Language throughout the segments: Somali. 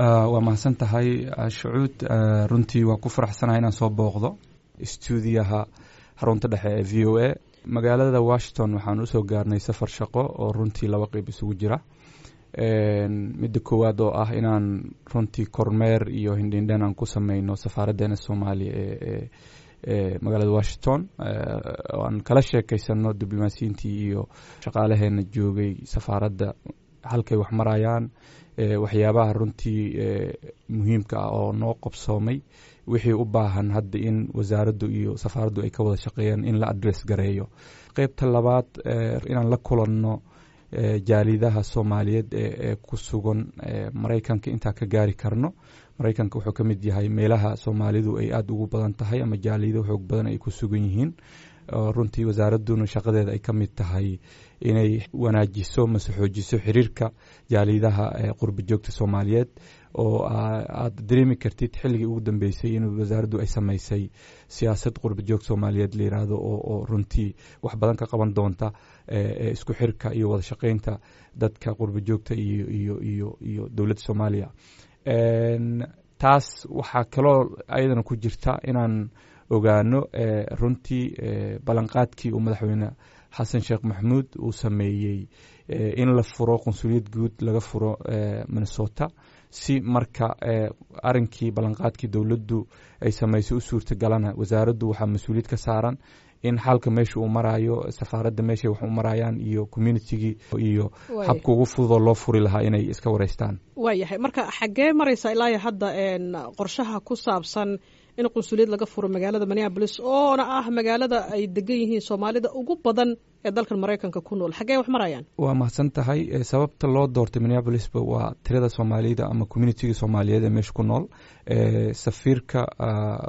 Waa mahadsan tahay, Shucuud. Runtii waa ku faraxsanahay inaan soo booqdo stuudiyaha xarunta dhexe ee VOA magaalada Washington. Waxaan usoo gaarnay safar shaqo oo runtii laba qeyb isugu jira. Midda koowaad oo ah inaan runtii kormeer iyo hindhindhen aan ku sameyno safaaraddeena Soomaaliya ee magaalada Washington, oo aan kala sheekeysano diblomaasiyiintii iyo shaqaalaheena joogay safaaradda halkay wax marayaan, waxyaabaha runtii muhiimka ah oo noo qobsoomay, wixii u baahan hadda in wasaaraddu iyo safaaraddu ay ka wada shaqeeyaan in la address gareeyo. Qeybta labaad, inaan la kulanno jaalidaha Soomaaliyeed ee ku sugan Maraykanka intaa ka gaari karno. Maraykanka wuxuu ka mid yahay meelaha Soomaalidu ay aada ugu badan tahay ama jaaliyado xoog badan ay ku sugan yihiin. Runtii wasaaradduna shaqadeeda ay ka mid tahay inay wanaajiso mase xoojiso xiriirka jaalidaha qurba joogta Soomaaliyeed, oo aad dareemi kartid xilligii ugu dambeysay in wasaaraddu ay samaysay siyaasad qurba joog Soomaaliyeed la yiraahdo, oo runtii wax badan ka qaban doonta isku xirka iyo wada shaqeynta dadka qurba joogta iyo dowladda Soomaaliya. Taas waxaa kaloo ayadana ku jirta inaan ogaano runtii ballanqaadkii uu Madaxweyne Xasan Sheekh Maxamuud uu sameeyey in la furo qunsuliyad guud laga furo Minnesota, si marka arrinkii ballanqaadkii dowladdu ay samaysay u suurtagalana, wasaaraddu waxaa mas-uuliyad ka saaran in xalka meesha uu maraayo safaaradda, meeshay wax u marayaan iyo communitygii iyo habka ugu fududoo loo furi lahaa inay iska wareystaan. Waayahay, marka xaggee maraysa ilaa hadda qorshaha ku saabsan in qunsuliyad laga furo magaalada Minneapolis, oona ah magaalada ay degan yihiin Soomaalida ugu badan ee dalkan Maraykanka ku nool? Xaggee wax marayaan? Waa mahadsan tahay. Sababta loo doortay Minneapolisba waa tirada Soomaalida ama communityga Soomaaliyeed ee meesha ku nool. Safiirka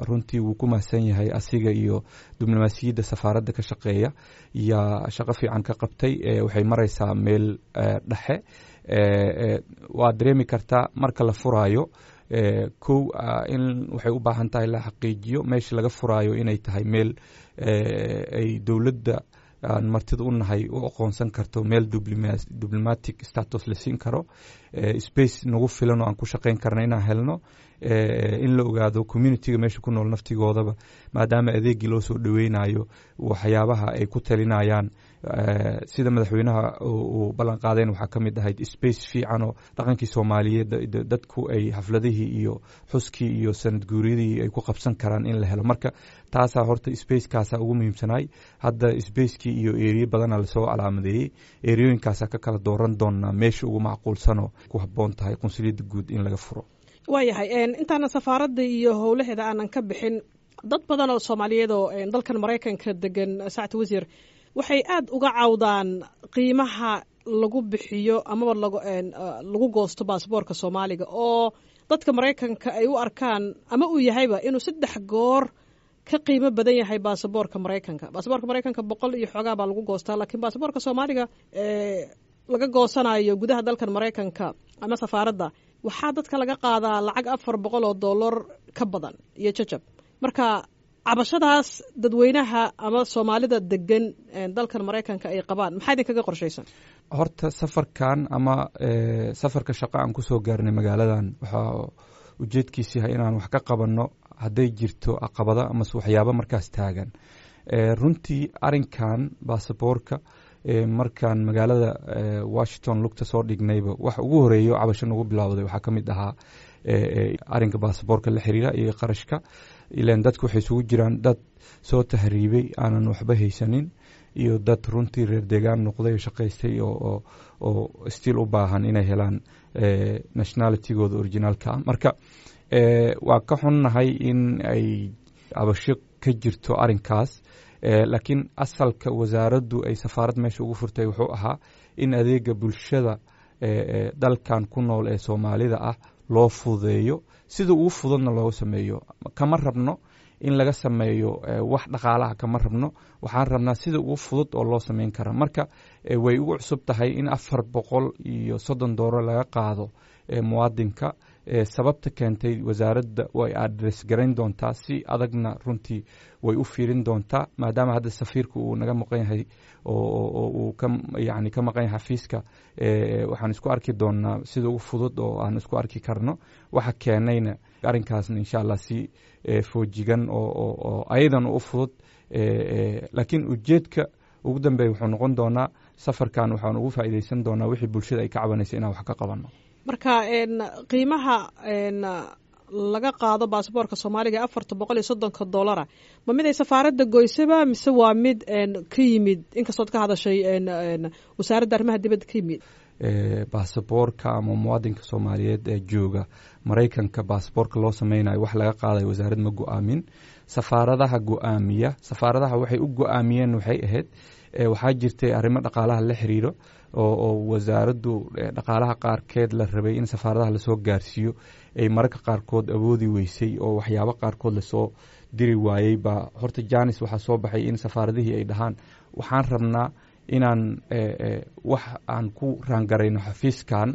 runtii wuu ku mahadsan yahay, asiga iyo diblomaasiyadda safaaradda ka shaqeeya yaa shaqo fiican ka qabtay. Waxay maraysaa meel dhexe. Waa dareemi kartaa marka la furaayo, kow in waxay u baahan tahay la xaqiijiyo meesha laga furaayo inay tahay meel ay dowladda aan martida u nahay u aqoonsan karto, meel diplomatic status la siin karo, space nagu filan oo aan ku shaqeyn karna inaan helno, in la ogaado communityga meesha ku nool naftigoodaba, maadaama adeegii loo soo dhaweynayo, waxyaabaha ay ku talinayaan. Sida madaxweynaha uu ballan qaadeen waxaa ka mid ahayd space fiican oo dhaqankii Soomaaliyeed dadku ay xafladihii iyo xuskii iyo sanad guuryadii ay ku qabsan karaan in la helo. Marka taasaa horta spacekaasaa ugu muhiimsanaay. Hadda spacekii iyo area badana lasoo calaamadeeyey, areayooyinkaasaa ka kala dooran doonaa meesha ugu macquulsanoo ku habboon tahay qunsuliyadda guud in laga furo. Waayahay, intaana safaaradda iyo howlaheeda aanan ka bixin, dad badan oo Soomaaliyeed oo dalkan Maraykanka degan, sacad wasiir, waxay aada uga cawdaan qiimaha lagu bixiyo amaba lagu goosto baasboorka Soomaaliga, oo dadka Maraykanka ay u arkaan ama uu yahayba inuu 3 goor ka qiimo badan yahay baasaboorka Maraykanka. Baasaboorka Maraykanka 100 iyo xoogaa baa lagu goostaa, laakiin baasaboorka Soomaaliga laga goosanayo gudaha dalkan Maraykanka ama safaaradda waxaa dadka laga qaadaa lacag $400 ka badan iyo jajab. Marka cabashadaas dadweynaha ama Soomaalida degan dalkan Maraykanka ay qabaan, maxaa idinkaga qorshaysan? Horta safarkan ama safarka shaqo aan kusoo gaarnay magaaladan waxaa ujeedkiis yahay inaan wax ka qabanno hadday jirto caqabado amase waxyaabo markaas taagan. Runtii arrinkan baasaboorka, markaan magaalada Washington lugta soo dhignayba, wax ugu horeeyo cabasho nagu bilowday waxaa ka mid ahaa arrinka baasaboorka la xiriira iyo qarashka. Ilan dadku waxay isugu jiraan dad soo tahriibay, aanan waxba haysanin, iyo dad runtii reer deegaan noqday oo shaqaystay oo still u baahan inay helaan nationalitygooda originaalka ah. Marka waa ka xunnahay in ay cabasho ka jirto arrinkaas, laakiin asalka wasaaraddu ay safaarad meesha ugu furtay wuxuu ahaa in adeega bulshada dalkan ku nool ee Soomaalida ah loo fududeeyo, sida ugu fududna looga sameeyo. Kama rabno in laga sameeyo wax dhaqaalaha, kama rabno. Waxaan rabnaa sida ugu fudud oo loo sameyn kara. Marka way ugu cusub tahay in $430 laga qaado muwaadinka. Sababta keentay wasaaradda way address garayn doontaa, si adagna runtii way u fiirin doontaa, maadaama hadda safiirka uu naga maqan yahay oo uu ka yani ka maqan yahay xafiiska. Waxaan isku arki doonaa sida ugu fudud oo aan isku arki karno waxa keenayna arrinkaasna, insha Allah, si foojigan oo ayadan u fudud. Laakiin ujeedka ugu dambeeya wuxuu noqon doonaa safarkan waxaan ugu faa'iidaysan doonaa wixii bulshada ay ka cabanaysa inaan wax ka qabanno. Marka qiimaha laga qaado baasaboorka Soomaaliga $430 ma mid ay safaaradda goysaba mise waa mid ka yimid, inkastood ka hadashay Wasaaradda Arrimaha Dibadda, ka yimid? Baasaboorka ama muwaadinka Soomaaliyeed ee jooga Maraykanka baasaboorka loo sameynayo wax laga qaadayo wasaarad ma go-aamin, safaaradaha go-aamiya. Safaaradaha waxay u go-aamiyeen waxay ahayd waxaa jirtay arrimo dhaqaalaha la xiriiro oo wasaaraddu dhaqaalaha qaarkeed la rabay in safaaradaha lasoo gaarsiiyo ay mararka qaarkood awoodi weysay oo waxyaabo qaarkood lasoo diri waayey. Baa horta janis waxaa soo baxay in safaaradihii ay dhahaan waxaan rabnaa inaan wax aan ku raangarayno xafiiskan,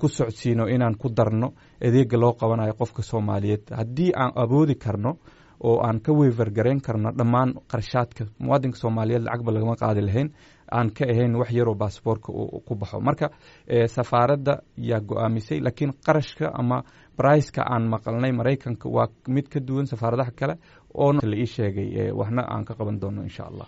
ku socodsiino, inaan ku darno adeega loo qabanayo qofka Soomaaliyeed haddii aan awoodi karno oo aan ka waiver garayn karno dhammaan qarashaadka muwaadinka Soomaaliyeed, lacagba lagama qaadi lahayn aan ka ahayn wax yaroo baasboorka ku baxo. Marka safaaradda yaa go-aamisay, laakiin qarashka ama briceka aan maqalnay Maraykanka waa mid ka duwan safaaradaha kale oona la ii sheegay, waxna aan ka qaban doono, insha Allah.